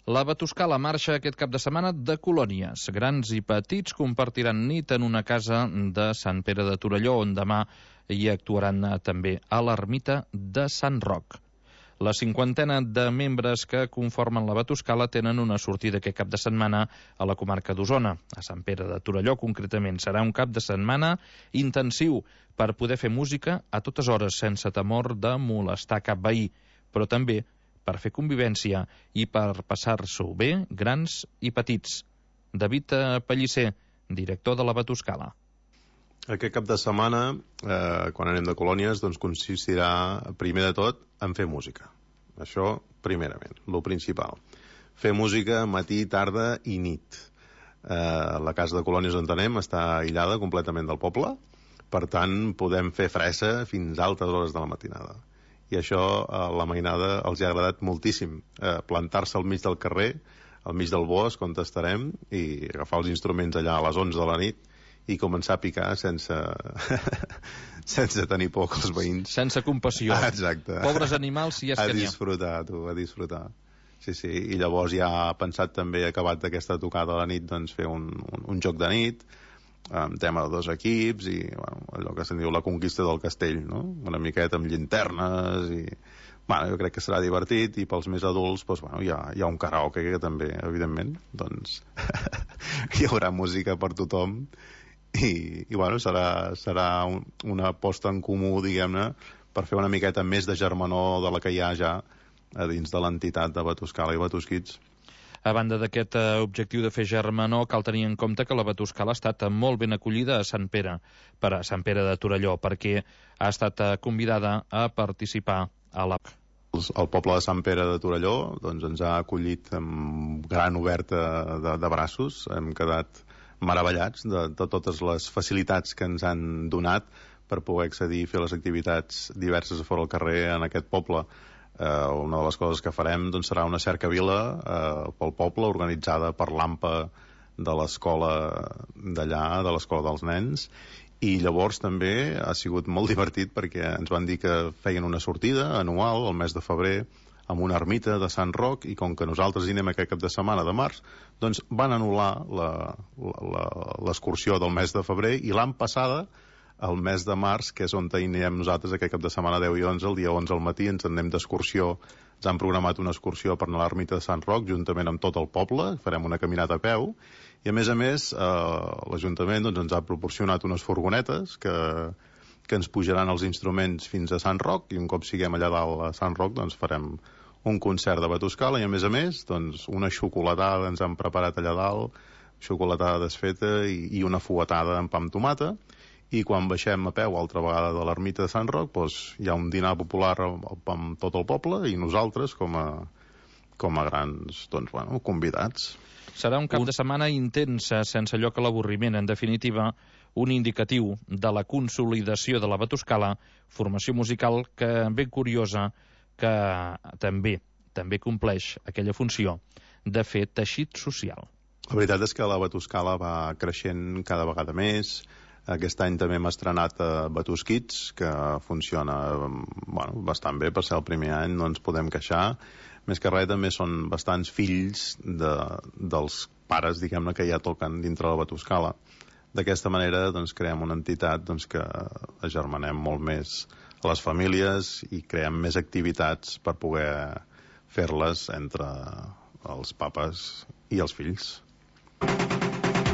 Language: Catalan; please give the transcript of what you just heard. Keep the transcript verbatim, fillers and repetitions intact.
La Batuscala marxa aquest cap de setmana de colònies. Grans i petits compartiran nit en una casa de Sant Pere de Torelló, on demà hi actuaran també a l'ermita de Sant Roc. La cinquantena de membres que conformen la Batuscala tenen una sortida aquest cap de setmana a la comarca d'Osona, a Sant Pere de Torelló concretament. Serà un cap de setmana intensiu per poder fer música a totes hores, sense temor de molestar cap veí, però també per fer convivència i per passar-s'ho bé, grans i petits. David Pellicer, director de la Batuscala. Aquest cap de setmana, eh, quan anem de colònies, doncs consistirà, primer de tot, en fer música. Això, primerament, lo principal. Fer música matí, tarda i nit. Eh, la casa de colònies on anem està aïllada completament del poble, per tant, podem fer fressa fins a altes hores de la matinada. I això a la mainada els ha agradat moltíssim, eh, plantar-se al mig del carrer, al mig del bosc on estarem, i agafar els instruments allà a les onze de la nit i començar a picar sense sense tenir por que els veïns... Sense compassió. Ah, exacte. Pobres animals, si és a que n'hi ha. A disfrutar, tu, a disfrutar. Sí, sí, i llavors ja ha pensat també, acabat d'aquesta tocada a la nit, doncs fer un, un, un joc de nit, amb tema de dos equips i bueno, allò que se'n diu la conquista del castell, no? Una miqueta amb llinternes i... Bueno, jo crec que serà divertit, i pels més adults doncs, bueno, hi, ha, hi ha un karaoke que també, evidentment, doncs hi haurà música per tothom i, i bueno, serà, serà un, una posta en comú, diguem-ne, per fer una miqueta més de germanor de la que hi ha ja a dins de l'entitat de Batuscala i Batusquids. A banda d'aquest objectiu de fer germanor, cal tenir en compte que la Batuscala ha estat molt ben acollida a Sant Pere, per a Sant Pere de Torelló, perquè ha estat convidada a participar a la... El poble de Sant Pere de Torelló doncs, ens ha acollit amb gran oberta de, de braços. Hem quedat meravellats de, de totes les facilitats que ens han donat per poder accedir i fer les activitats diverses a fora al carrer en aquest poble. Uh, una de les coses que farem doncs, serà una cercavila uh, pel poble, organitzada per l'AMPA de l'escola d'allà, de l'escola dels nens, i llavors també ha sigut molt divertit perquè ens van dir que feien una sortida anual al mes de febrer amb una ermita de Sant Roc, i com que nosaltres hi anem aquest cap de setmana de març, doncs van anul·lar l'excursió del mes de febrer, i l'any passada el mes de març, que és on hi anem nosaltres aquest cap de setmana deu i onze, el dia onze al matí ens anem d'excursió. Ens han programat una excursió per anar a l'ermita de Sant Roc juntament amb tot el poble, farem una caminata a peu, i a més a més eh, l'Ajuntament doncs, ens ha proporcionat unes furgonetes que, que ens pujaran els instruments fins a Sant Roc, i un cop siguem allà dalt a Sant Roc doncs farem un concert de Batuscala, i a més a més doncs, una xocolatada ens han preparat allà dalt, xocolatada desfeta i, i una fuetada amb pa amb tomata. I quan baixem a peu altra vegada de l'ermita de Sant Roc doncs hi ha un dinar popular amb tot el poble, i nosaltres com a, com a grans doncs, bueno, convidats. Serà un cap de setmana intens, sense lloc a l'avorriment. En definitiva, un indicatiu de la consolidació de la Batuscala, formació musical que, ben curiosa, que també també compleix aquella funció de fer teixit social. La veritat és que la Batuscala va creixent cada vegada més. Aquest any també hem estrenat a Batusquids, que funciona bueno, bastant bé. Per ser el primer any no ens podem queixar. Més que res també són bastants fills de, dels pares, diguem-ne, que ja toquen dintre la Batuscala. D'aquesta manera doncs, creem una entitat doncs, que agermanem molt més a les famílies i creem més activitats per poder fer-les entre els papes i els fills.